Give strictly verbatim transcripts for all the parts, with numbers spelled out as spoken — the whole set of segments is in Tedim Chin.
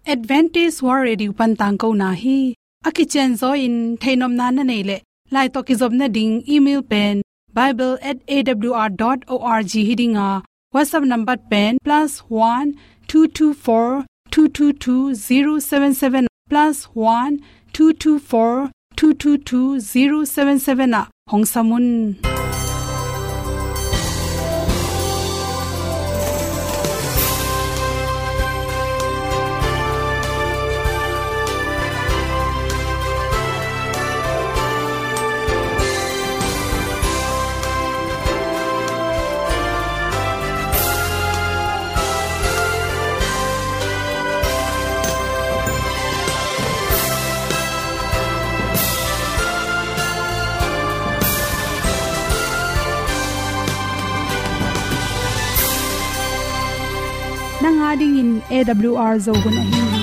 Adventist World Radio pan tangkona hi. A kicianzaw in theihnopna na neih leh, lai tawh kizopna ding email pen bible at A W R dot org hi ding a, WhatsApp number pen plus one two two four two two two zero seven seven, plus one two two four two two two zero seven seven ah hong sam un. Nang a dingin A W R Zo hun ahi hi.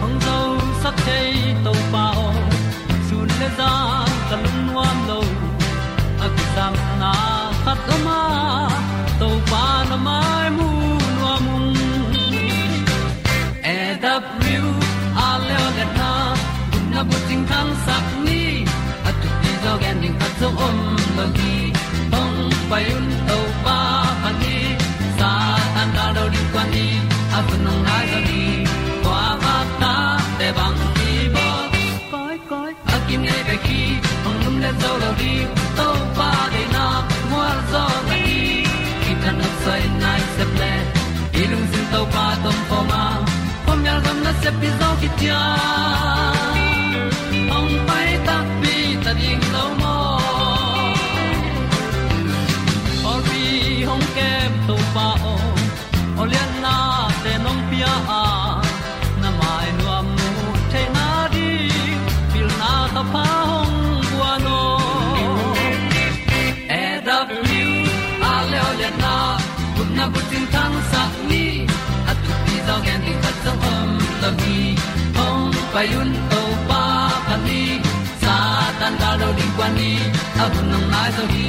Hong zosak thei Topa aw, sun le zan ka lungnuam lo. A kisapna khat om a, Topa na mai mu nuam ung. A W R Zo hun a bucing thangsak ni, a thupi zaw gen ding khat zong om lo hi. Hong pai un Topa phat ni, Satan gal do ding kuan ni, a hun hong nai zaw ni. Kua vak ta te bang hi bawl. Koi, koi, a kinei bek hi, hong lumlet zo lo ding. Topa deihna mual zaw na hi. Kitang a soi nai sep le, i lungsim Topa tawh om khawm a, khuamial gam nasep hi zaw kician. Hong pai takpi ta ding lo maw? Pawlpi hong kem Topa aw, aw lianna te nong pia a, na mai nuam mu theihna ding pilna ka pha hong guan aw. A W R Zo hun a bucing thangsak ni, a thupi zaw gen ding khat zong om lo hi. Hong pai un Topa phat ni, Satan gal do ding kuan ni, a hun hong nai zaw hi.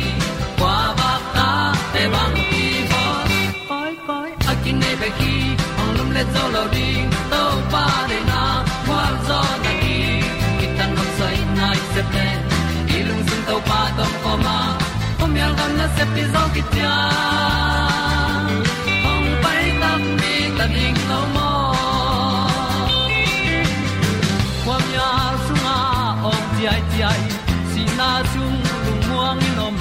Kua vak ta te bang hi bawl. Koi, koi, a kinei bek hi, hong lumlet zo lo ding. Topa deihna mual zaw na hi. Kitang a soi nai sep le, i lungsim Topa tawh om khawm a, khuamial gam nasep hi zaw kician. Hong pai takpi ta ding lo maw? Khuamial sungah awng ciaiciai, sihna sung lungmuang in om,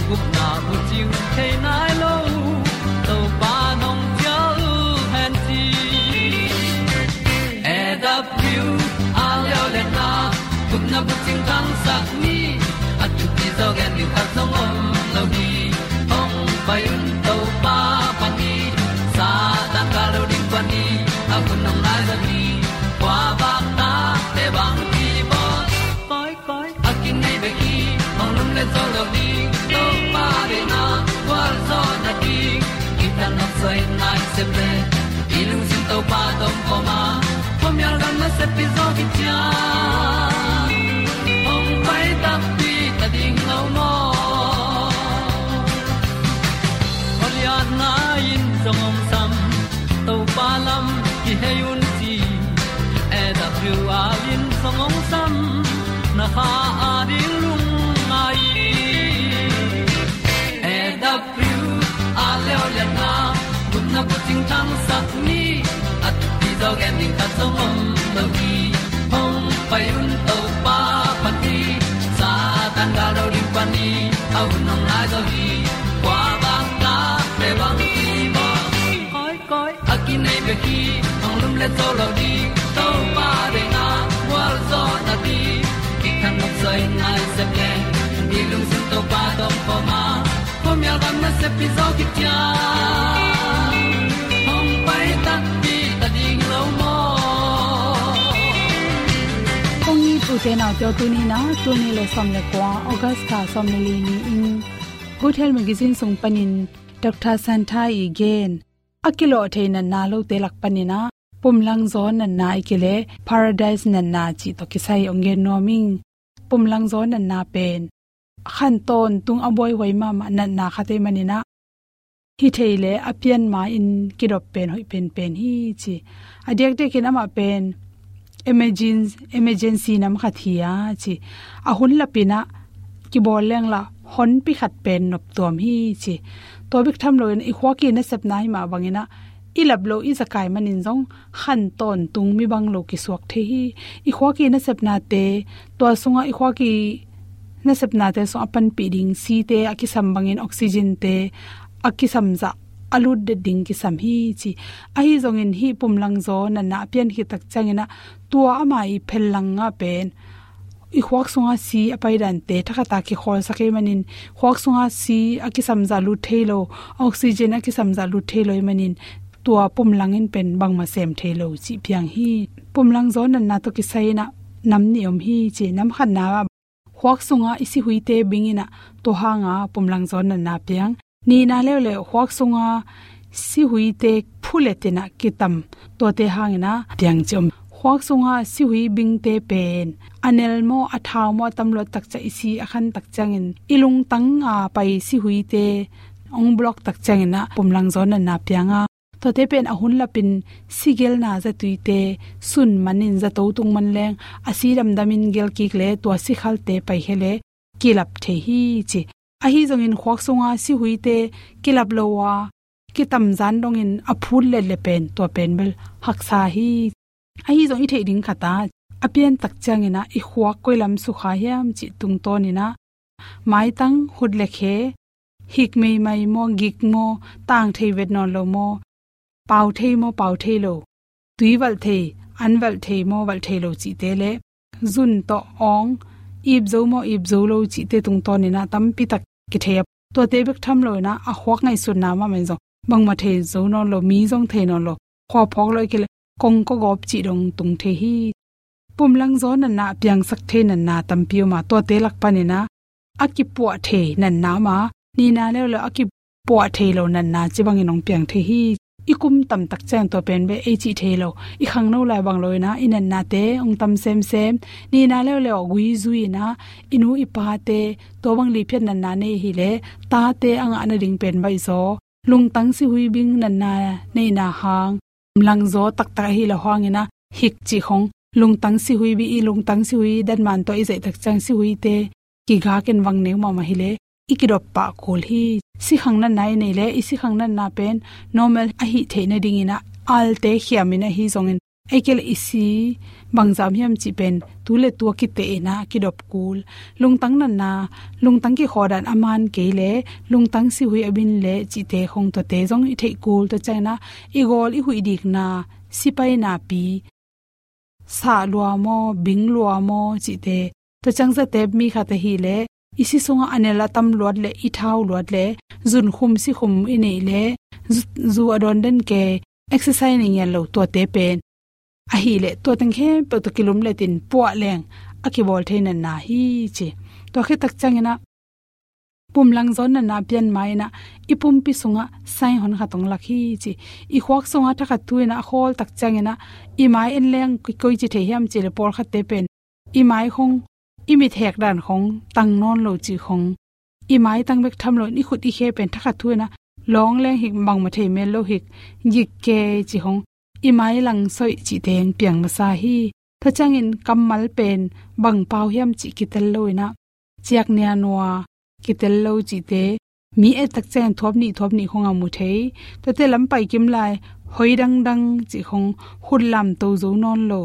gupna bucing thei nai lo, Topa nong cial hen ci. A W R Zo hun a gupna bucing thangsak ni, a thupi zaw gen ding khat zong om lo hi. Hong pai un Topa phat ni, Satan gal do ding kuan ni, a hun hong nai zaw hi. Kua vak ta te bang hi bawl. Koi, koi, a kinei bek hi, hong lumlet zo lo ding. Topa deihna mual zaw na hi. Kitang a soi nai sep le, i lungsim Topa tawh om khawm a, khuamial gam nasep hi zaw kician. Hong pai takpi ta ding lo maw? Aw lianna in zong hong sam, Topa lam kihei un ci. A W R in zong hong sam, na kha a ding lungngai. A W R Zo hun a gupna bucing thangsak ni, a thupi zaw gen ding khat zong om lo hi. Hong pai un Topa phat ni, Satan gal do ding kuan ni, a hun hong nai zaw hi. Kua vak ta te bang hi bawl. Koi, koi, a kinei bek hi, hong lumlet zo lo ding. Topa deihna mual zaw na hi. Kitang a soi nai sep le, i lungsim Topa tawh om khawm a, khuamial gam nasep hi zaw kician. Hong pai takpi ta ding lo maw? Kong it u te nau te aw, tuni in ah, tul nih le sawm le kua, August kha sawm le li ni-in Good Health Magazine sung panin Doctor Santa i gen, a kilawh thei natna lote lak panin ah, pumlangzaw natna ahih kei leh Paradise natna cih tawh kisai hong gen nuam ing. Pumlangzaw natna pen khan tawntung a buaihuai mahmah natna khat ahih manin ah, hi thei leh a pian ma-in kidop pen hoih penpen hi ci. A diakdiakin amah pen emergen-, emergency nam khat hi a ci. A hun lapin ah kibawl leng lah honpi khat pen noptuam hi ci. Tua bek tham loin i khuak i nasepna hi mah bangin ah, i lap loh i zakai manin zong khan tawntung mi bang lo kisuak thei hi. I khuak i nasepnate, tua sungah i khuak i nasepnate sungah a panpih ding site a kisam bangin oxygen-te a kisam zah a lut det ding kisam hi ci. Ahi zongin hih pumlangzaw natna a pian khit tak ciangin ah, tua ama i phellang ah pen i khuak sunga si a pai dante thakhata kikhawlsak ahih manin, khuak sunga si a kisam zah lut thei lo, oxygen a kisam zah lut thei lo ahih manin, tua pumlang in pen bangmah sem thei lo cih piang hi. Pumlangzaw natna tawh kisai-in ah nam nih om hi ci. Nam khatna ah khuak sunga i sihuite bingin ah, tua hanga pumlangzaw natna piang. Nihna leuleu khuak sunga sihuite phuletin ah kitam, tuate hangin ah piang ci om. Khuak sunga sihui bingte pen a nel maw, a thau maw, a tamluat tak ciang, i si a khan tak ciangin, i lungtang a pai sihuite hong block tak ciangin ah pumlangzaw natna piang a, tuate pen a hun lapin sigelna zatuite sun manin zato tung man leng, a si damdamin gelkik leh tua sikhalte paikhia leh kilap thei hi ci. Ahi zongin khuak sunga sihuite kilap lo a, kitamzan dongin a phut letleh pen, tua pen bel haksa hi. Ahi zong i theih ding khat ah, a pian tak ciangin ah i khuak koi lam sukha hiam cih tungtawnin ah, maitang, khut le khe, hik meimai maw, gik maw, tang thei vet nawn lo maw, pau thei maw, pau thei lo, tui valh thei, an valh thei maw, valh thei lo cihte leh, zun tawh awng, ip zo maw, ip zo lo cihte tungtawnin ah tampi tak kithei a, tuate bek tham loin ah a khuak ngaihsutna mahmah in zong bangmah thei zo nawn lo, mi zong thei nawn lo, khua phawk lo, ahih kei leh kongkaw gawp cih dong tung thei hi. Pumlangzaw natna a piangsak thei natna tampi om a, tuate lak panin ah a kipuah thei natna om a, nihna leuleu a kipuah thei lo natna ci bangin hong piang thei hi. I kum tam tak ciang tua pen beh ei cih thei lo, i khangno lai bang loin ah i natnate hong tam semsem. Nihna leuleu a gui zui-in ah i nu i pate tua bang liphiat natna nei hi leh, tate a ngah nading pen baihzaw, lungtang sihui bing natna neihna hang, pumlangzaw taktak ahi lo hangin ah hik cih khong, lungtang sihui bih, i lungtang sihui datman tawh i zaih tak ciang sihuite kigak in vang neu mahmah hi leh, i kidop pah kul hi. Sikhang natna i neih leh, i sikhang natna pen normal a hih theih nadingin ah alte khiamin ahi zongin, ahih kei leh i si bangzah hiam cih pen tu le tu a kiteh in ah kidop kul. Lungtang natna, lungtang kikhawdan a man kei leh, lungtang sihui a bin leh cihte khong, tuate zong i theih kul. Tua ciangin ah i gawl i huih dikna, sipai napi, sah lua maw, bing lua maw cihte. Tua ciang zatep mi khat ahih leh, i si sungah a nel a tamluat leh, i thau luat leh, zunkhum sikhum i neih leh, zu, zu a dawn den kei, exercise nei ngiat lo, tuate pen ahih leh tua teng khempeuh tawh kilumletin puah leng a kibawl thei natna hi ci. Tua khit tak ciangin ah pumlangzaw natna a pian ma-in ah i pumpi sungah sign honkhat hong lak hi ci. I khuak sungah thakhat thu-in ah a khawl tak ciangin ah i mai en leng koi, koi ci thei hiam cih leh pawlkhatte pen i mai khong, i mit hek dan khong tang nawn lo cih khong, i maitang bek tham loin i khut i khe pen thakhat thu-in ah lawng leng hik, bangmah thei mel lo hik, gik kei cih khong, i mai lang soih cihte hong piang masa hi. Tua ciangin kammal pen bang pau hiam cih kitel loin ah, ciak nia nua kitel lo cihte, mi et tak ciangin thuap nih, thuap nih khong a mu thei. Tuate lam pai kim lai, hoi dangdang cih khong, khut lamto zo nawn lo,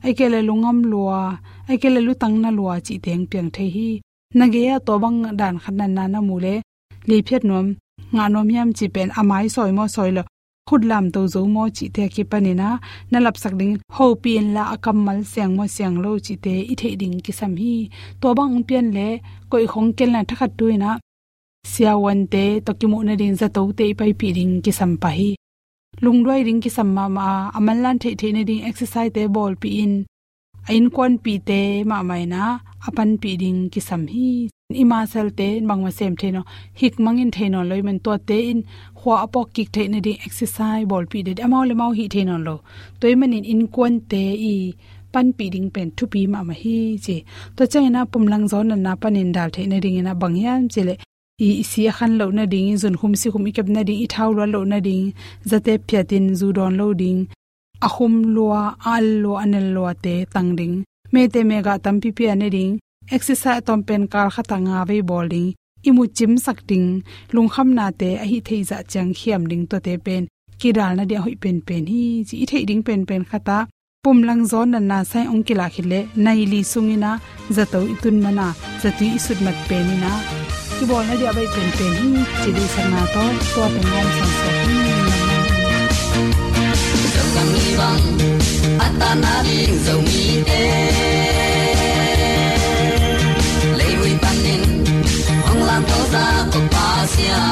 ahih kei leh lungam lua, ahih kei leh lutang na lua cihte hong piang thei hi. Na gei-ah tua bang dan khat natna na mu leh, liphiat nuam, ngah nuam hiam cih pen a mai sawi maw, sawi lo, khut lamto zo maw cihte a kipanin ah na lapsak ding, hopih inla a kammal siang maw, siang lo cihte i theih ding kisam hi. Tua bang hong pian leh, koih khong ken la thakhat thu-in ah siavuante tawh kimuh nading zatote i paipih ding kisam pah hi. Lungduai ding kisam mahmah a, a manlan theihtheih nading exercise-te bawlpih in, a innkuanpihte mahmah in ah a panpih ding kisam hi. I muscle-te bangmah sem thei nawn, hik mangin thei nawn lo ahih man, tuate in khua a pawkkik theih nading exercise bawlpih ding, amau leh amau hih thei nawn lo. Tua ahih manin innkuante i panpih ding pen thupi mahmah hi ci. Tua ciangin ah pumlangzaw natna panin dal theih nadingin ah bang hiam cih leh i, i si a khan loh nading, i zunkhum sikhum i kep nading, i thau luat loh nading, zate phiatin zu dawn lo ding, a khum lua, a al lua, a nel luate tang ding, mete megah tampi pia nading, exercise a tawm pen kal khatah nga vei bawl ding, i mu cimsak ding, lungkhamnate a hih theih zah ciang khiam ding, tuate pen kidal nading a hoih penpen hi ci. I theih ding penpen khatah pumlangzaw natna sai ong kilah khit leh nai li sungin ah zato i tun man a, zatui i sut mat penin ah i bawl nading a baih penpen hi ci. Deihsakna tawh tua pen ngawm sangsak hi. Zogam i bang a tan nading Zomite, leihui panin hong lamto zah ko Pasian.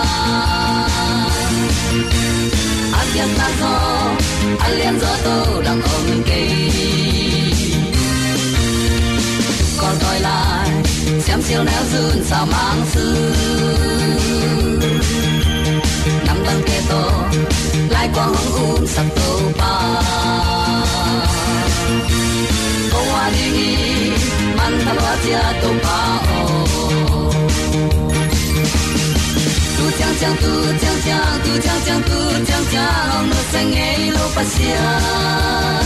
A piakna zaw, a lian zaw, to dang om kei. Kol toi lai, siam sial neu zun sau mang su. Nam dangte tawh, lai kuang hong umsak Topa. Kong ua ding hi, mantha lua cia Topa aw. Tu ciangciang, tu ciangciang, tu ciangciang, tu ciangciang, hong nusia ngei lo Pasian.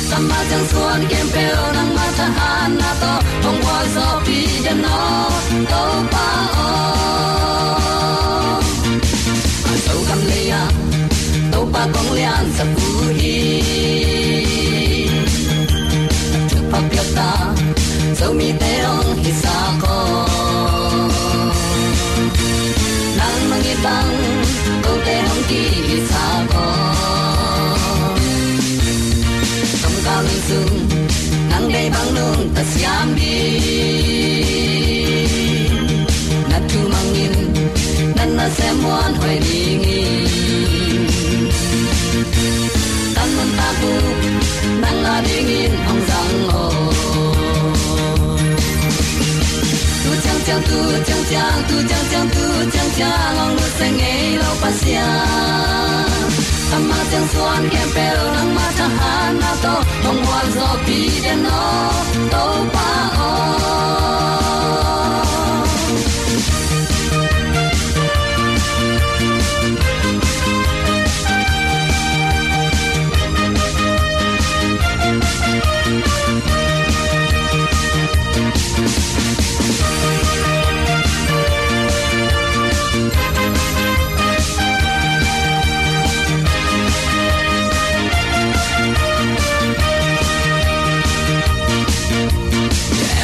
Tama ciang suan khempeuh nangma thahatna tawh hong gualzawhpih den aw, Topa aw. A Zogam lei ah Topa kong liansak uh hi. Thupha piakta Zomite hong hisak aw. Nang mangit bang kote hong kihisak aw. Tongkau nung sung nang deih bang nungta siam ding. Na thu mangin na nasem muanhuai ding hi. Kan nuntak uh nang a dingin hong zang aw. Tu ciangciang, tu ciangciang, tu ciangciang, tu ciangciang, hong nusia ngei lo Pasian. Tama ciang suan khempeuh nangma thahatna tawh hong gualzawhpih den aw, Topa aw.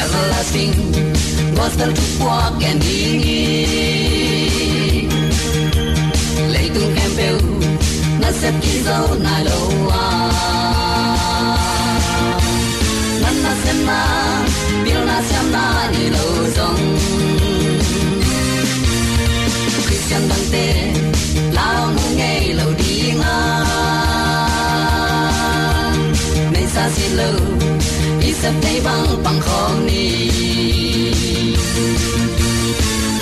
Everlasting gospel thupuak gen ding hi. Leitung khempeuh nasep kizo nai lo a, na nasemna pilna siamna nei lo zong, Khristian dangte lau mu ngei lo ding a, neisa si lo i sep thei bang pang khawm ni.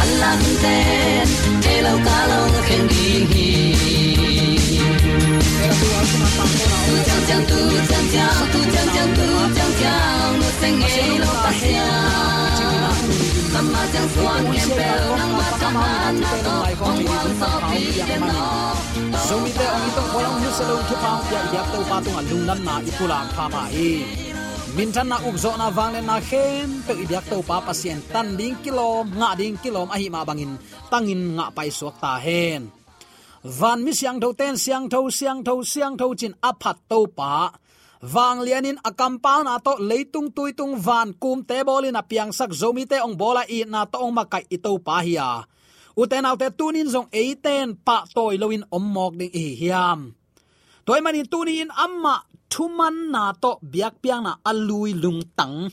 A lak hun ten thei lo ka long kheng ding hi. Tu ciangciang, tu ciangciang, tu ciangciang, tu ciangciang, nu seng ngei lo Pasian. Tama ciang suan khempeuh nangma thahatna tawh hong gualzawhpih den aw. Zomite hong it tawh khualam nusia lo thupha hong pia i biak Topa tungah lungdamna i pulak pha hi. Minthanna, ukzawhna, vangliatna khempeuh i biak Topa Pasian tan ding kilawm, ngah ding kilawm ahih mah bangin tangin ngah paisuak ta hen. Van mi siangthote in siangtho, siangtho, siangtho ci-in a phat Topa, vanglianin a kampalna tawh leitung tuitung van kumte bawlin a piangsak, Zomite hong bawl a itna tawh hong makaih i Topa hi a, ute naute, tuni-in zong eite in pahtawi loin om mawk ding i hi hiam? Tua ahih manin tuni-in amah thumanna tawh biakpiakna a lui lungtang,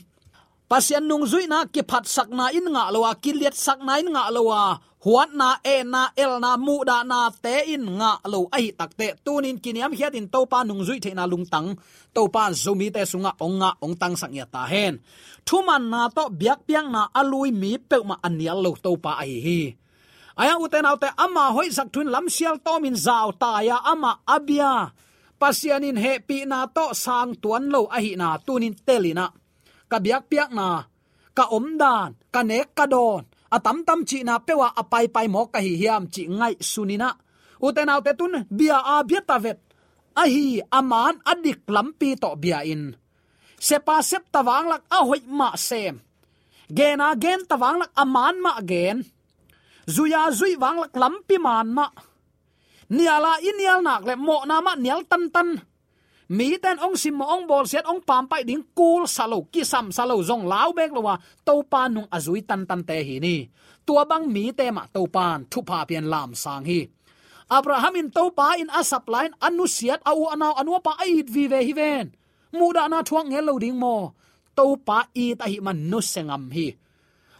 Pasian nungzuihna kiphatsakna in ngah lo a, kiliatsakna in ngah lo a, huatna, etna, elna, muhdahnate in ngah lo ahih takteh, tuni-in kiniamkhiatin Topa nungzuih theihna lungtang Topa Zomite sungah hong ngah, hong tangsak ngiat ta hen. Thumanna tawh biakpiakna a lui mi peuhmah a nial lo Topa ahi hi. Ahi hang ute naute, ama hoihsak thu in lamsial tawmin zautai a, amah a bia Pasian in hehpihna tawh sang tuan lo ahihna tunin telinah ka biakpiakna, ka omdan, ka nek ka dawn, a tamtam cihna peuh ah a paipai mawk ka hi hiam cih ngaihsuninah, ute naute, tun bia a bia ta vet ahi a man a dik lampi tawh bia in, sepa septa vanglak a hoih mah sem, gena genta vanglak a man mah gen, zuia zuih vanglak lampi man mah, niala i nial nak le mawhna mah nial tantan, miten ong simmawh, ong bawlsiat, ong pampaih ding kulsa lo, kisamsa lo, zong lau bek lo a Topa nung a zui tantante hi ni. Tua bang mite mah Topan thupha pian lamsang hi. Abraham in Topa in a sap lai-in a nusiat a u a nau a nuapa a it vive hi ven. Muhdahna thuak ngel lo ding maw? Topa it ahih man nusia ngam hi.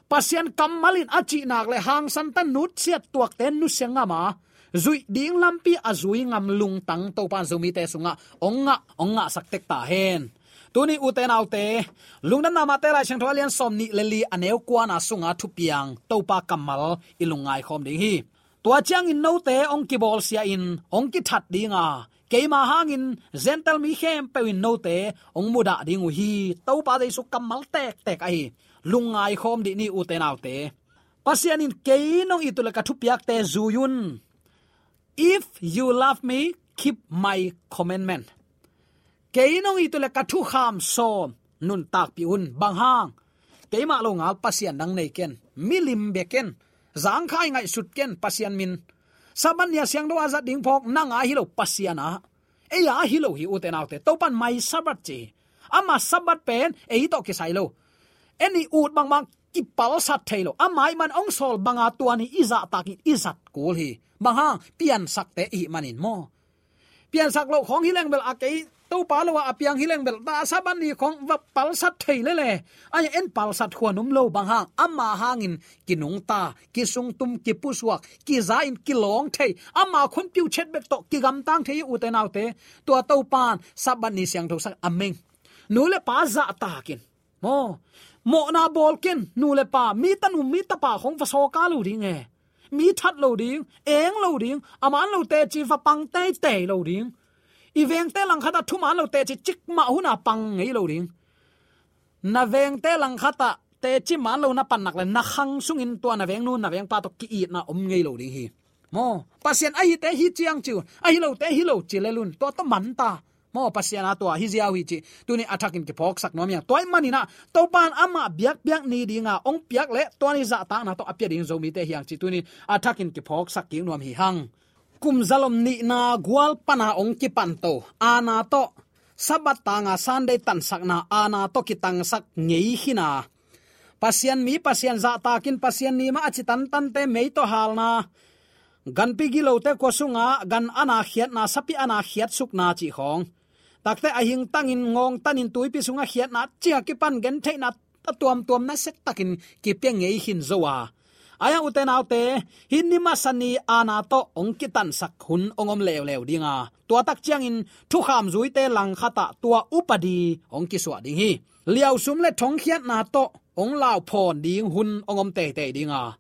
Pasian kammal in a cihnak le hangsan tan nutsiat tuakte nusia ngam a, zuih ding lampi a zui ngam lungtang Topan Zomite sungah ong ngah, ong ngahsak tek ta hen. Tuni ute naute, Lungdamna Mate Lai Siangtho a lian sawm nih le li a neu kuana sunga thupiang Topa kammal i lungngai khawm ding hi. Tua ciangin note ong kibawlsia in ong kithat ding a, keima hangin Gentile mi khempeuh in note ong mudah ding uh hi. Topa Jesu kammal tektek ahi. Lungngai khawm dih ni ute naute. Pasian in kei nong it uh le ka thupiakte zui un. If you love me, keep my commandment. Kei nong it uh le ka thukham sawm nuntakpih un. Bang hang? Keimah lo ngal Pasian dang nei ken, milim bia ken, zangkhai ngaihsut ken Pasian min. Sabbath ni a siangtho a zat ding phawk nang a hi lo, Pasian a, ei a hi lo hi ute naute. Topan my Sabbath ci hi. Ama Sabbath pen ei tawh kisai lo. En i ut bangbang kipalsat thei lo. Ama ih man ong sawl banga tua ni i zahtakin i zat kul hi. Bang hang? Piansakte ihih manin maw? Piansak loh khawng hi leng bel a kei Topa lo a a piang hi leng bel ta Sabbath ni khawng va palsat thei lele. Ai en palsat khuan um lo, bang hang? Ama hangin kinungta, kisungtum, kipusuak, kiza in kilawng thei, ama khun piuchet bek tawh kigamtang thei hi ute naute. Tua Topan Sabbath ni siangtho sak a meng. Nu le pa zahtakin maw, mawhna bawl ken, nu le pa, mi tanu mi tapa khawng va sawka lo ding e. Mi that lo ding, eng lo ding, a man lo teci va pang teitei lo ding. I vengte langkhatah thuman lo teci cikmah huna pang ngei lo ding. Na vengte langkhatah teci man lo na pannak le na khang sungin tua na vengnu na vengpa tawh ki-itna om ngei lo ding hi. Maw, Pasian ahite hi ciang ci un, ahi lote hi lo ci lel un, tua tawh manta. Maw, Pasian a tua hi ziau hi cih tuni a thakin kiphawksak nuam hiang. Tua ih maninah Topan amah biakpiak ni dinga ong piak le tua ni zahtakna tawh a pia ding Zomite hiang cih tuni a thakin kiphawksak kik nuam hi hang. Kum zalom nihna gual pana ong kipanto aana tawh, Sabbath tanga Sunday tansakna aana tawh kitangsak ngei khina, Pasian mi, Pasian zahtakin Pasian ni mah a ci tantante mei tawh halna, ganpi gilote kua sunga gan ana khiatna, sapi ana khiatsukna cih khawng, takte a hingtangin ngawngtanin tuipi sunga khiatna, cia kipan gentheihna a tuamtuam nasia takin kipia ngei khin zo a. Ai-a ute naute, hih ni masa ni aana tawh ong kitansak hun ong om leuleu dinga, tua tak ciangin thukham zuite langkhatah tua upadi ong kisuah ding hi. Liausum le thongkhiatna tawh ong lauphawn ding hun ong om teitei dinga,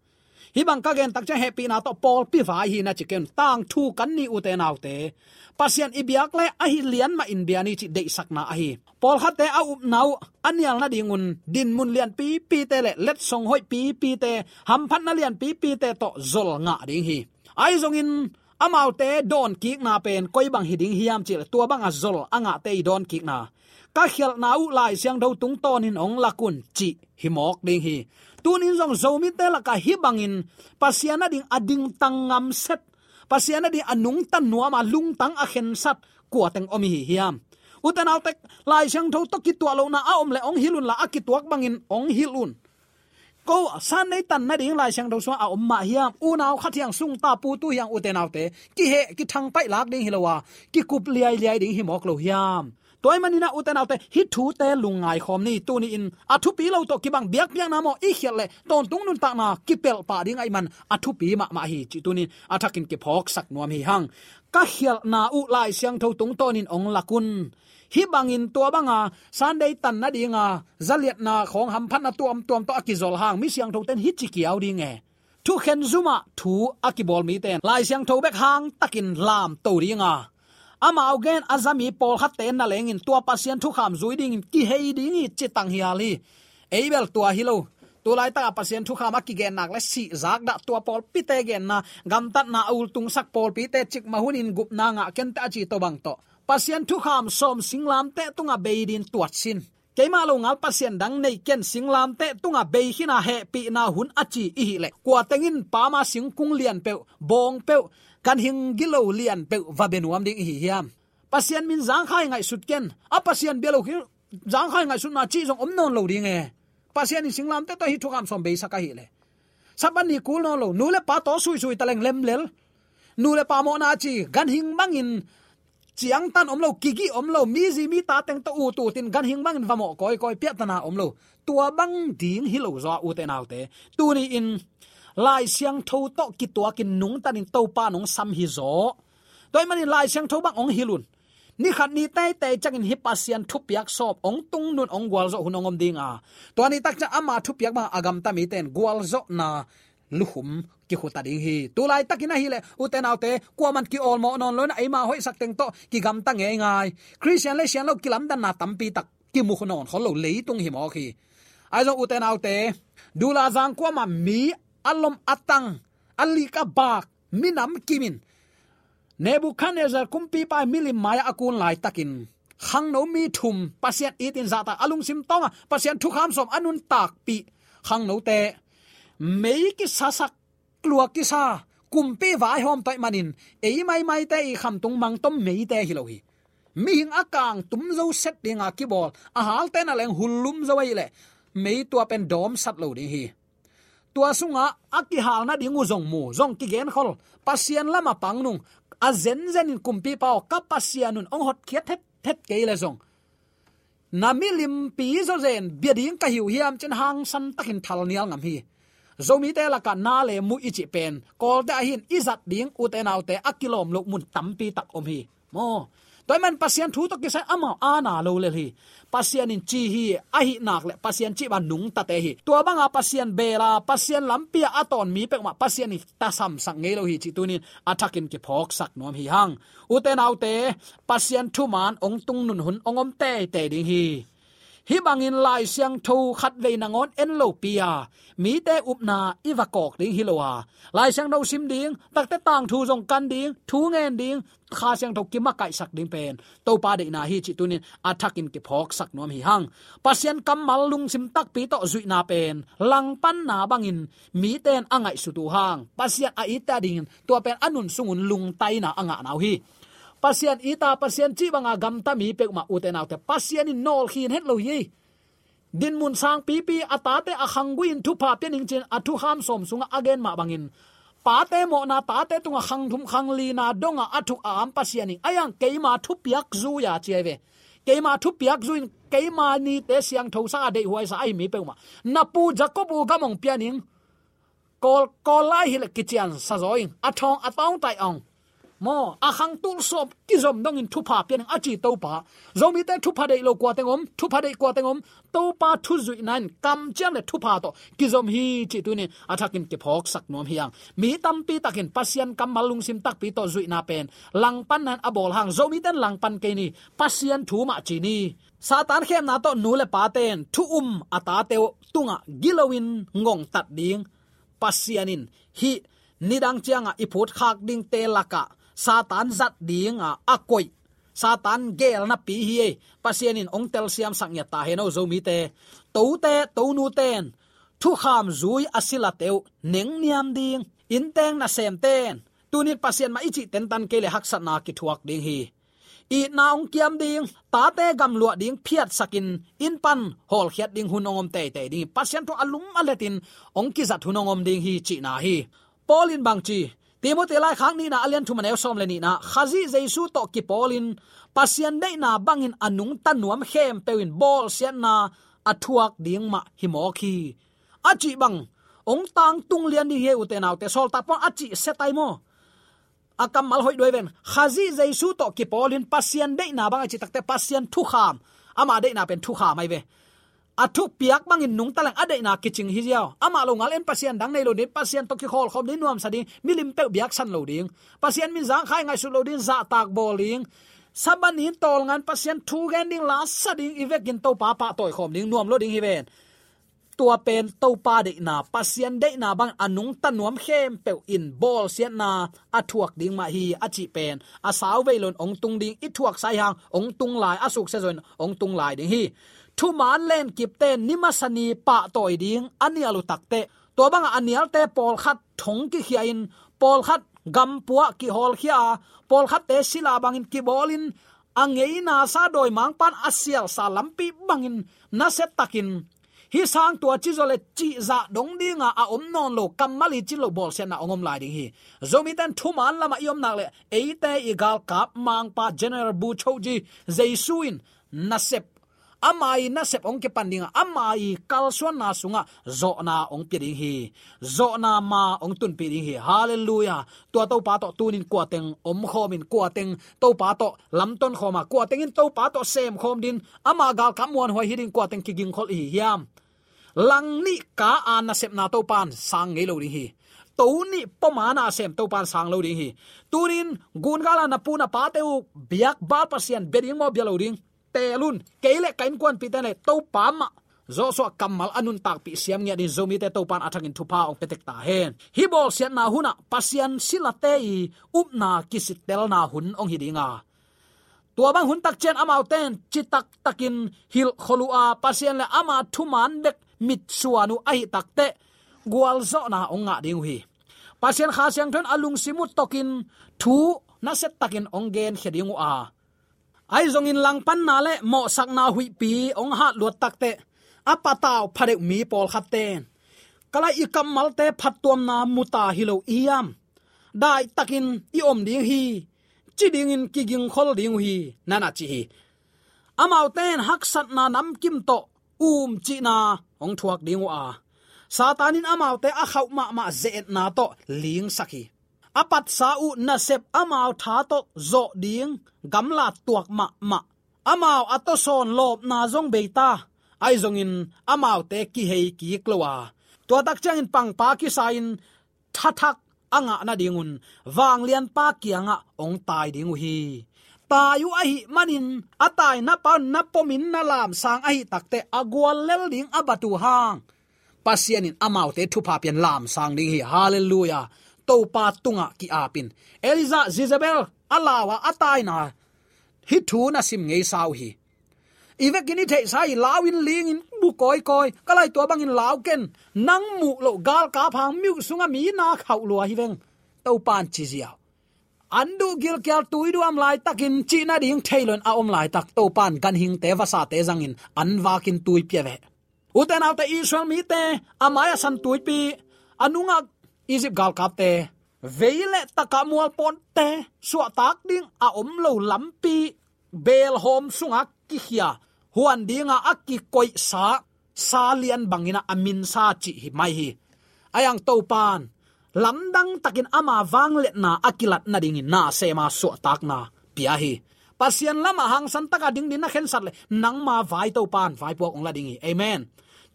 hih bang ka gen tak ciang hehpihna tawh pawlpi vai hi na ci kei un. Tangthu kan ni ute naute. Pasian i biak le ahi lian mahin bia ni cih deihsakna ahi. Pawlkhatte a upna uh a nial nadingun dinmun lianpipite le letsong hoih pipite, hamphatna lianpipite tawh zol ngah ding hi. Ahi zongin amaute dawnkikna pen koi bang hi ding hiam cih le tua banga zol a ngahte i dawnkikna, ka khialhna uh Lai Siangtho tungtawnin ong lak un cih hi mawk ding hi. Tunin zong Zomite lakah hih bangin Pasian a ding a dingtang ngamset, Pasian a ding a nungta nuama lungtang a khensat kua teng om i hi hiam? Ute naute, Lai Siangtho tawh kituah lohna a om le ong hilh unla a kituak bangin ong hilh un. Ko Sunday tan nading Lai Siangtho sungah a om mah hiam? Unau khat hiang, sungta putu hiang, ute naute, kiheh kithangpaih lak ding hi lo a, kikup liailiai ding hi mawk lo hiam? Tua ih maninah ute naute, hih thute lungngai khawm ni. Tuni-in a thupi lo tawh kibang biakpiakna maw i khialh leh tawntung nuntakna kipelh pah ding ahih man a thupi mahmah hi cih tunin a thakin kiphawksak nuam hi hang. Ka khialhna uh Lai Siangtho tungtawnin ong lak un. Hih bangin tua banga Sunday tan nadinga zaliatna khawng, hamphatna tuamtuam tawh a kizol hang mi siangthoten hih ci kiau ding e. Thukhen zumah thu a kibawl miten Lai Siangtho bek hangtakin lamto dinga, Amau gen a zami pawlkhatte na lengin tua Pasian thukham zui dingin kihei ding hi ci tanghial hi. Ei bel tua hi lo. Tulaitakah Pasian thukham a kigen nak le sihzak dah tua pawlpite genna, gamtatna a ultungsak pawlpite cikmah hunin gupna ngah kenteh a ci tawh bang tawh Pasian thukham sawm singlamteh tungah bei dingin tuat sin. Keimah lo ngal pasian dang nei ken, singlamteh tungah bei khin a hehpihna hun a ci i hih leh kua tengin pama singkung lian peuh, bawng peuh, ganhing gilo lian peuh va bia nuam ding i hi hiam? Pasian min zangkhai ngaihsut ken. A Pasian bia lo khin zangkhai ngaihsutna cih zong om nawn lo ding e. Pasian in singlamteh tawh hih thukham sawm beisak ahih leh Sabbath ni kul nawn lo, nu le pa taw suisui taleng lemlel. Nu le pa mawhna ci, ganhing bangin ciangtan om lo, kigih om lo, mi zi mi ta teng tawh ut utin ganhing bangin va mawh kawikawi, piahtana om lo. Tua bang ding hi lo zaw a, ute naute. Tuni-in Lai Siangtho tawh kituakin nungtanin Topa nong sam hi zaw. Tua ahih manin Lai Siangtho bang hong hilh un. Ni khat ni teitei ciangin hih Pasian thupiak sawm hong tungnun hong gualzawh hun hong om ding a, tua ni tak ciang ama thupiak bang a gamta mite in gualzawhna lukhum kikhuta ding hi. Tulaitakin ahih leh, ute naute, kuaman kiawlmawh nawn lo in a, eima hoihsak teng tawh kigamta ngeingai. Khristian le sian lo kilamdanna tampi tak kimu nawn khol lo leitung hi mawk hi. Ahi zong ute naute, dula zang kuamah mi a lom a tang, a lik a bak, minam kimin Nebuchadnezzar kumpipa milim mai-ah a kun laitakin khangno mi thum Pasian itin zahtak a lungsim tawngah Pasian thukham sawm a nuntakpih khangnote mei kisasak, tlua kisa, kumpi vaihawm tawi manin ei maimaite i khamtung mangtom meite hi lo hi. Mihing a kang tum zo set dinga kibawl, a halte na leng hullum zo ahih leh mei tua pen dawmsat lo ding hi. Tua sungah a kihal nading uh zong mu, zong kigenkhol, Pasian lamah pang nung, a zenzenin kumpipa aw, ka Pasian un hong hotkhiat thethet kei leh zong na milimpi zawzen bia ding ka hi uh hiam ci-in hangsan takin thalnial ngam hi. Zomite lakah na le mu i cih pen Kawlte ahi in i zat ding, ute naute, a kilawm loh mun tampi tak om hi. Maw, tua ahih man Pasian thu tawh kisai amau aana lo lel hi. Pasian in ci hi, ahih nak leh Pasian cih bang nungtate hi. Tua banga Pasian bela, Pasian lampi-a a tawn mi peuhmah Pasian in tasamsak ngei lo hi cih tunin a thakin kiphawksak nuam hi hang. Ute naute, Pasian thuman hong tungnun hun hong om teitei ding hi. Hih bangin Lai Siangtho khatvei nangawn en lopi a, mite upna i va kawk ding hi lo a, Lai Siangtho sim ding, takte tangthu zong kan ding, thu ngen ding, Kha Siangtho kimakaihsak ding pen Topa deihna hi cih tunin a thakin kiphawksak nuam hi hang. Pasian kammal lungsim takpi tawh zuihna pen langpanna bangin mite in a ngaihsut uh hang, Pasian a itte adingin tua pen a nun sungun lungtaina a ngahna uh hi. Pasian it a, Pasian cih banga gamta mi peuhmah, ute naute, Pasian in nawlkhin het lo hi. Dinmun sangpipi a tate a khanggui-in thupha pia ning ci-in a thukham sawm sungah a gen mah bangin, pate mawhna, tate tungah khang thum khang lina dongah a thuk a am Pasian in, a iang keima thupiak zui-a ci ahi ve. Keima thupiak zui-in keima nite siangthosak a deihhuaisa ahi mi peuhmah, na pu Jacob uh gam hong pia ning. Kawl, Kawl lai hileh kiciansa zaw ing, a thawng a tawngtai ong. Maw, a khang tul sawm kizom dongin thupha pia ning a ci Topa. Zomite thupha deih lo kua teng om, thupha deih kua teng om, Topa thuzuihna in kamciam le thupha tawh kizom hi cih tunin a thakin kiphawksak nuam hi hang. Mi tampi takin Pasian kammal lungsim takpi tawh zuihna pen langpanna in a bawl hang, Zomite in langpan kei ni, Pasian thu mah ci ni. Satan khemna tawh nu le pate in thu um a tate uh tungah giloin ngongtat ding Pasian in hih nidang ciangah i phutkhak dingte lakah Satan zat dinga a koih, Satan geelnapi hi ei. Pasian in hong telsiamsak ngiat ta hen aw Zomite. Tote, tonute in thukham zui a silate uh nengniam ding, innteng nasemte in tunin Pasian mah i cih tentan kei leh haksatna kithuak ding hi. Itna hong kiam ding, tate gamluah ding phiatsakin inn pan hawlkhiat ding hun hong om teitei ding hi. Pasian thu a lum a letin hong kizat hun hong om ding hi cihna hi. Paul in bang ci, Timoti laikhak nihna a lian thum a neu sawm le nihna, Khazih Jesu tawh kipawlin Pasian deihna bangin a nungta nuam khempeuh in bawlsiatna a thuak ding mah hi mawk hi, a cih bang hong tangtung lian ding hi ei ute naute. Sawltak Paul a cih setai maw? A kammal hoih duai ven. Khazih Jesu tawh kipawlin Pasian deihna bang a cih takte Pasian thukham. Ama deihna pen thukham ahi ve. a thuk piak bangin nungta leng a deihna kicing hi ziau. Amah lo ngal en Pasian dang nei lo ding, Pasian tawh kikholkhawm ding, nuamsa ding, milim peuh biaksan lo ding, Pasian min zangkhai ngaihsut lo ding, zahtak bawl ding, Sabbath ni tawlngan Pasian thu gen ding, lasa ding, i vekin Topa pahtawikhawm ding, nuam lo ding hi ven. Tua pen Topa deihna, Pasian deihna bang a nungta nuam khempeuh in bawlsiatna a thuak ding mah hi a cih pen a sau vei loin hong tung ding, i thuaksa i hang hong tung lai, a suksia zawin hong tung lai ding hi. Thumaan lenkipte ni masa ni pahtawi ding a nial uh takteh, tua bangah a nialte pawlkhat thong kikhia in, pawlkhat gampuah kihawlkhia a, pawlkhatte sila bangin kibawlin, a ngeina sa dawimangpa'n a sialsa lampi bangin nasia takin, hih sang tua ci zaw le cihzah dong dinga a om nawn lo, kammal i cin loh bawlsiatna hong om lai ding hi. Zomite'n thumaan lamah i om nak leh, eite i galkap mangpa General Bogyoke Jesu in nasep, ama i nasep hong kipan dinga, ama i kalsuanna sungah zawhna hong pia ding hi. Zawhna ma hong tunpih ding hi. Halleluiah. Tua Topa tawh tunin kuateng omkhawmin, kuateng Topa tawh lamtonkhawm a, kuateng in Topa tawh semkhawm dingin, ama galkap muanhuai hi dingin kuateng kigingkhol i hi hiam? Lang nih ka a nasepna Topa'n sang ngei lo ding hi. To nih pom a na sem Topa'n sang lo ding hi. Tunin gun gala na pu na pate uh biak Baal pasian bia ding maw, bia lo ding? Teel un. Kei le ka innkuanpihte le Topa mah Joshua kammal a nuntakpih siam ngiat in Zomite Topa'n a thakin thupha hong pia tek ta hen. Hih bawlsiatna hunah Pasian silate i upna kisittelna hun hong hi ding a, tua bang hun takciang amaute in citak takin hilhkhol uh a, Pasian le ama thumaan bek mitsuan uh ahih takteh gualzawhna hong ngah ding uh hi. Pasian Kha Siangtho in a lungsim uh tokin thu nasia takin hong genkhia ding uh a, ahi zongin langpanna le mawhsakna huihpi hong hatluat takteh, a patau phadeuh mi pawlkhatte in, "Ka lai, i kammalte phattuamna mu ta hi lo i hiam? Daihtakin i om ding hi," ci dingin kigingkhol ding uh hi, na na ci hi. Amaute in haksatna namkim tawh um cihna hong thuak ding uh a, Satan in amaute a khauh mahmah ze-etna tawh lingsak hi. A patsa uh nasep amau tha tawh zawh ding gamla tuak mahmah. Amau a tawsawn lawpna zong bei ta, ahi zongin amaute kihei kik lo a, tua takciangin pangpa kisa-in thathak a ngah nadingun vanglianpa kiangah hong tai ding uh hi. Tai uh ahih manin a tainapa un na pomin na lamsang ahih takteh, a guallel ding a bat uh hang Pasian in amaute thupha pian lamsang ding hi. Halleluiah. Topa tungah ki-apin, Elijah Jezebel a lau a, a taina hih thu na sim ngeisa uh hi. I vekin i theihsa hi, lau in lingin bu kawikawi, "Ka lai, tua bangin lau ken, nang muh loh galkap hang, mih uh sungah mi na khauh lua hi veng," Topa'n ci ziau. An duh gilkial tuiduam laitakin cih nading thei loin a om laitak, Topa'n ganhingte vasate zangin an vakin tui pia ve. Ute naute, Israel mite a mai-ah San Tuipi, a nungah Egypt galkapte, vei le taka mualpawnte suahtak ding a om lo lampi, beelhawm sungah kikhia, huan dinga a kikoihsa sa lian bangin a minsa cih hi mai hi. Ahi hang Topa'n lamdang takin ama vangliatna a kilat nadingin nasem a suahtakna pia hi. Pasian lamah hangsan taka ding dingin na khensat leh nangma vai Topa'n vaipuak hong la ding hi. Amen.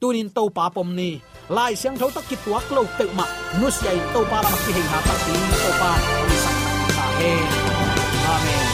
Tunin Topa pom ni. Lai Siangtho tawh kituak lo peuhmah nusia in Topa lamah kiheina takpi Topa'n hong hisak ta hen. Amen.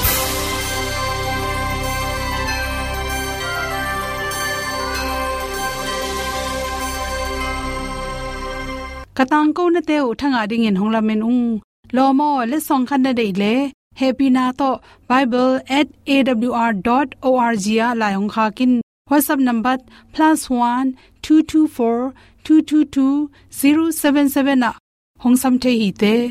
Ka tangkonate uh thangah dingin hong lamen ung. Lawm aw, letsong khat na deih leh, hehpihna tawh bible at A W R dot O R G ah lai hong khak in. WhatsApp number plus one two two four two two two zero seven seven ah hong sam thei hi te.